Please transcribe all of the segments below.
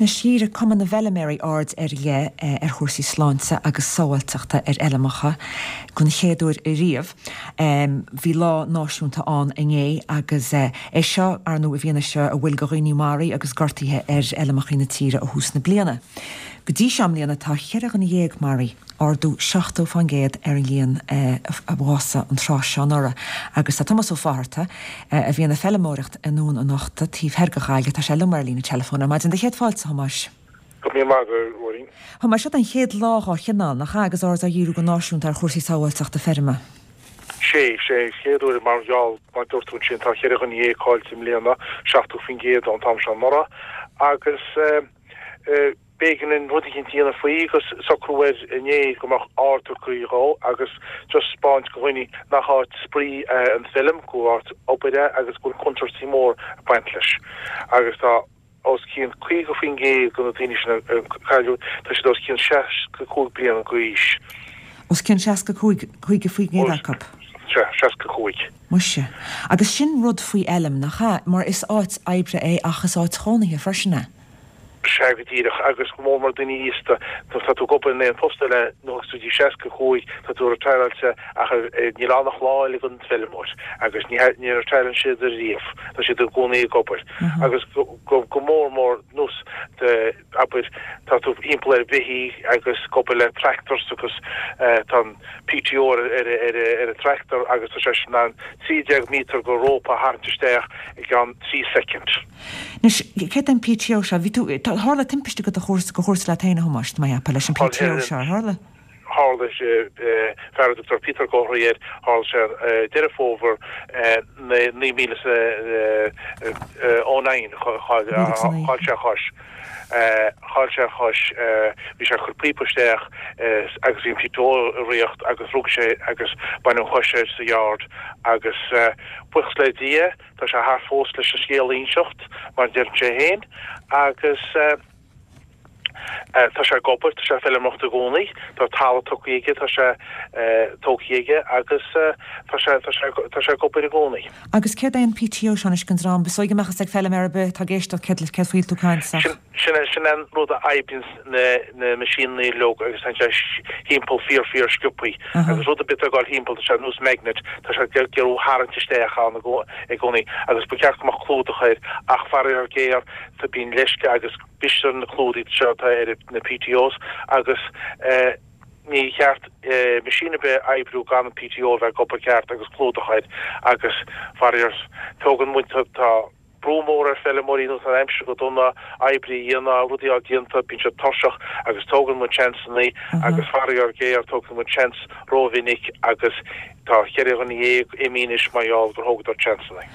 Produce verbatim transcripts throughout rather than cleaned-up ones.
Anois dhírigh Cumann na bhFeilméaraí aird ar leith ar chúrsaí sláinte agus sábháilteachta ar fheilmeacha den chéad uair ariamh. Bhí lá náisiúnta ann inné agus é seo, ar ndóigh, i bhfianaise a bhfuil de dhaoine maraithe agus gortaithe ar fheilmeacha na tíre ó thús na bliana. Go dtí seo i mbliana tá cheithre dhuine dhéag maraithe, ardú seachtó fán gcéad ar an líon a bhásaigh an tráth seo anuraidh. Agus tá Tomás Ó Fátharta, a bhíonn ag feilméaracht i nDún an Uchta, taobh thoir de Ghaillimh, tá sé liom ar líne teileafóin ar maidin. Céad fáilte, a Thomáis. Go raibh míle maith agat, a Mháirín. Thomáis, seo an chéad lá dhá chineál, nach ea, agus aird á dhíriú go náisiúnta ar chúrsaí sábháilteachta feirme. Sé, sé, chéad uair mar gheall, mar dúirt tú ansin, tá cheithre dhuine dhéag caillte i mbliana, seachtó faoin gcéad ón t-am seo anuraidh, agus eh, eh, b'éigean an rud eicínt a dhéanamh faoi agus socrú air inné go mbeadh aird tugtha dhó agus just 'spáint go dhaoine nach áit spraoi é an feilm, go áit obair é agus go bhfuil contúirtí mór ag baint leis. Agus tá os cionn caoga faoin gcéad de na daoine sin a cailleadh, tá siad os cionn seasca cúig bliana d'aois. Os cionn seasca cúig, caoga faoin gcéad acu? Sea, seasca cúig. Muise. Agus sin rud faoi fheilm, nach ea? Mar is áit oibre é ach is áit chónaithe freisin é. Sea, go díreach, agus go mór mór daoine aosta, nuair atá tú ag obair in aon phost eile, nuair atá tú seasca cúig, tá tú retireáilte ach níl ann ach lá eile don bhfeilmeoir agus ní ní retireann siad ariamh, tá siad i gcónaí ag obair. Agus go mór mór nós de, abair, tá tú thimpeall ar bheithígh agus ag obair le tractors agus tá an P T O ar ar an tractor agus tá sé sin in ann trí déag míotar de rópa a tharraingt isteach i gceann trí soicind. Anois, céard é an P T O seo? Bhí tú, tharla timpiste go do chúrsa go chúrsa leat féin, a Thomáis, tá mé ag ceapadh, leis an P T O seo, ar tharla? Tharla sé, fear a dtugtar Peter Góthraí air, tharla sé Deireadh Fómhair naoi míle is a naoi, chaill sé a chois. Chaill sé a chois, bhí sé ag cur píopa isteach agus bhí an P T O i riocht agus rug sé agus baineadh an chois air sa yard agus buíochas le Dia, tá sé thart fós leis an scéal a inseacht, mar a deireann sé féin, agus tá sé ag obair, tá sé ag feilméaracht i gcónaí, tá talamh tugtha aige, tá sé tógtha aige agus tá sé tá sé tá sé ag obair i gcónaí. Agus céard é an P T O seo anois don dream? Is dóigh go mbeadh fhios ag feilméara ar bith atá ag éisteacht céard céard faoi tú ag caint ach. Sin sin é sin é an rud a oibríonns na na meaisíneanna uilig agus tá sé thimpeall fíor fíor sciobthaí agus rud ar bith atá ag dul thimpeall tá sé nós magnet, tá sé ag iarraidh tharraingt isteach ann i gcónaí agus ba cheart go mbeadh clúdach air ach faraor géar tá bíonn leisce agus bristear na clúdaigh seo atá ar na P T Os agus ní cheart meaisín ar bith oibriú gan an P T O a bheith ag obair ceart agus clúdach air agus faraor tógann muid tá brú mór ar feilméaraí nó san aimsir go dona oibre a dhéanamh, rudaí á déanta, bíonn siad tuirseach agus tógann muid seansanna agus faraor géar tógann muid seans rómhinic agus tá cheithre dhuine dhéag imithe anois mar gheall gur thógadar seansanna.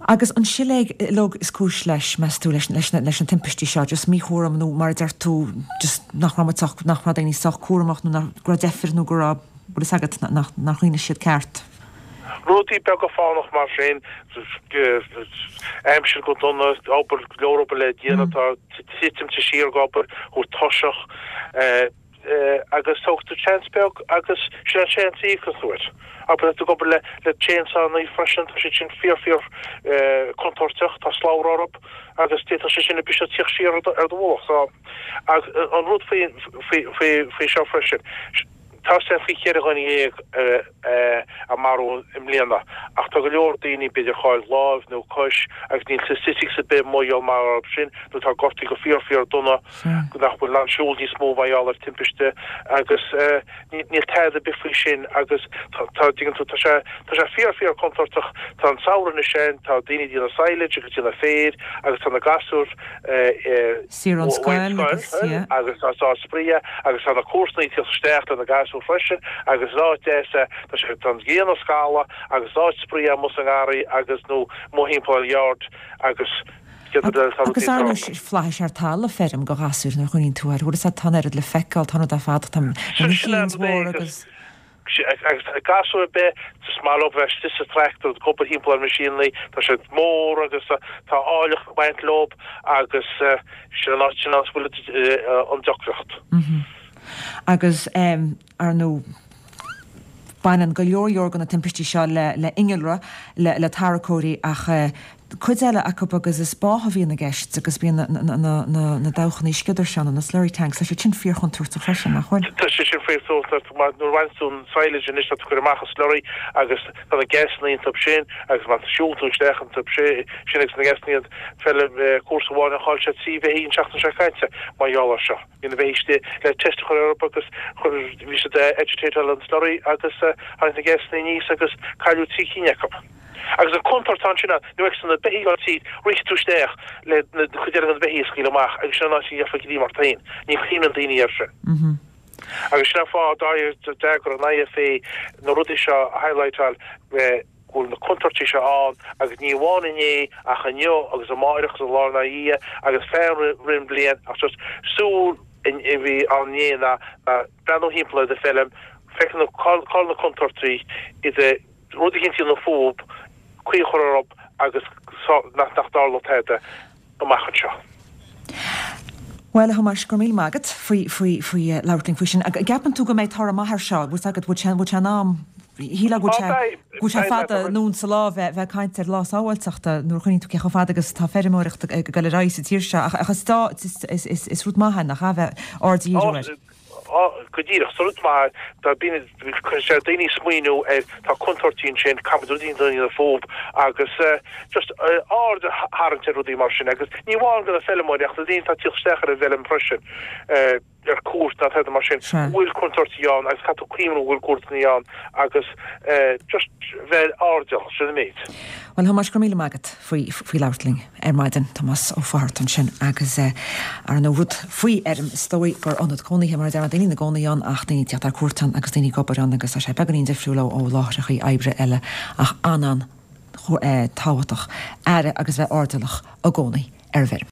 Agus an siléig uilig is cúis leis, meas tú, leis leis leis na timpistí seo, just míchúram nó mar a deir tú just nach raibh muid sách, nach raibh daoine sách cúramach nó nach go raibh deifir nó go raibh, bhfuil fhios agat, nach nach rinne siad ceart? Rudaí beaga fánach mar sin, aimsir go dona, obair, go leor obair le déanamh, tá titim siar ag obair, thú tuirseach, agus tóg tú seans beag agus sin an seans a íocann tú air. Abair tú ag obair le le chainsaw freisin, tá siad sin fíor fíor contúirteach, tá slabhra orthu agus d'fhéadfadh sé sin a briseadh tíocht siar ar do ar do mhullach. So an rud faoi faoi faoi faoi seo freisin, tá sé faoi cheithre dhuine dhéag a maraíodh i mbliana ach tá go leor daoine b'fhéidir chaill lámh nó cois agus níl statistics ar bith mar gheall mar sin nó tá gortaithe go fíor fíor dona go nach bhfuil an siúl níos mó mar gheall ar timpiste agus níl tada ar bith faoi sin agus tá tuigeann tú tá sé tá sé fíor fíor contúirteach. Tá an samhradh anois sin, tá daoine ag déanamh silage agus déanamh féir agus tá na gasúir Saor ón scoil agus yeah. Agus tá tá spraoi agus tá na comharsana ag tíocht isteach le na gasúir freisin agus is áit deas é, tá sé tá an ghrian ag scalladh agus is áit spraoi amuigh sa ngarraí agus nó amuigh thimpeall ar yard agus Agus ar ndóigh flaithis ar talamh feirm go ghasúir nuair a chuimhníonn tú air, bhfuil fhios agat, tá an oiread le feiceáil, tá an rud ar fad, tá na machines mhóra agus. Agus gasúr ar bith, is maith leo bheith istigh sa tractor ag obair thimpeall ar machine, tá siad mór agus tá áilleacht ag baint leo agus sin an áit sin a bhfuil an deacracht. Agus ar ndóigh baineann go leor leor de na timpistí seo le le innealra, le le tarracóirí ach cuid eile acu agus is bá a bhíonn i gceist agus bíonn na dabhchannaí sciodair seo, na slurry tanks, tá siad sin fíorchontúirteach freisin, nach bhfuil? Tá sé sin fíorchontúirteach mar nuair a bhain tú an silage anois tá tú ag cur amach an slurry agus tá na gásanna iontu sin agus má siúlann tú isteach iontu sin agus na gásanna feilm cúrsa amháin a chaill sé trí bheithígh an tseachtain seo caite mar gheall air seo. Bhí na beithígh istigh le test a chur orthu agus bhí siad agitateáil an slurry agus tháinig na gásanna aníos agus cailleadh trí cinn acu. Agus an chontúirt atá ansin ná nuair a fheiceann tú na beithígh ag dul tríd, rithfidh tú isteach le na cuid eile de na beithígh a scaoileadh amach agus sin an áit a gheofá greim ort féin. Ní chuimhníonn daoine air sin. Agus sin an fáth a d'eagraigh an IFA na rudaí seo a highlightáil go bhfuil na contúirtí seo ann agus ní amháin inné ach inniu agus amáireach agus an lá ina dhiaidh agus feadh rith an bhliain ach just súil a bhí ann inné ná breathnú thimpeall ar do feilm, feiceann tú cá bhfuil na contúirtí idir rud éicint a dhéanamh fúthu, caoi a chur orthu agus nach dtarlódh tada amach anseo. Bhuel, a Thomáis, go raibh míle maith agat faoi, faoi, faoi labhairt linn faoi sin. An gceapann tú go mbeidh toradh maith air seo? Bhfuil agat, bhfuil sé, bhfuil sé in am, shílfeá go bhfuil sé, go bhfuil sé fada anonn sa lá bheith, bheith ag caint ar lá sábháilteachta nuair a chuimhníonn tú cé chomh fada agus atá feirmeoireacht ag dul ar aghaidh sa tír seo. Ach, ach is, is, is, is rud maith é, nach ea, bheith aird a dhíriú air. Go díreach, is rud maith é, bíonn, cuireann sé ar daoine smaoineamh ar, tá contúirtí ansin, caithfidh muid rudaí a dhéanamh fúthu agus just aird a tharraingt ar rudaí mar sin agus ní amháin do na feilmeoirí ach do daoine atá ag tíocht isteach ar an bhfeilm freisin, ar cuairt nó tada mar sin, go bhfuil contúirtí ann agus caithfidh tú cuimhneamh go bhfuil contúirtí ann agus just bheith airdeallach, sin an méid. Bhuel, a Thomáis, go raibh míle maith agat faoi faoi labhairt linn ar maidin. Tomás Ó Fátharta ansin agus ar ndóigh rud faoi fheirm is dóigh gur ionad cónaithe mar a deir daoine ina gcónaí ann ach daoine ag teacht ar cuairt ann agus daoine ag obair ann agus tá sé beagáinín difriúil ó ó láithreachaí oibre eile ach an-an tábhachtach aire agus bheith airdeallach i gcónaí ar an bhfeirm.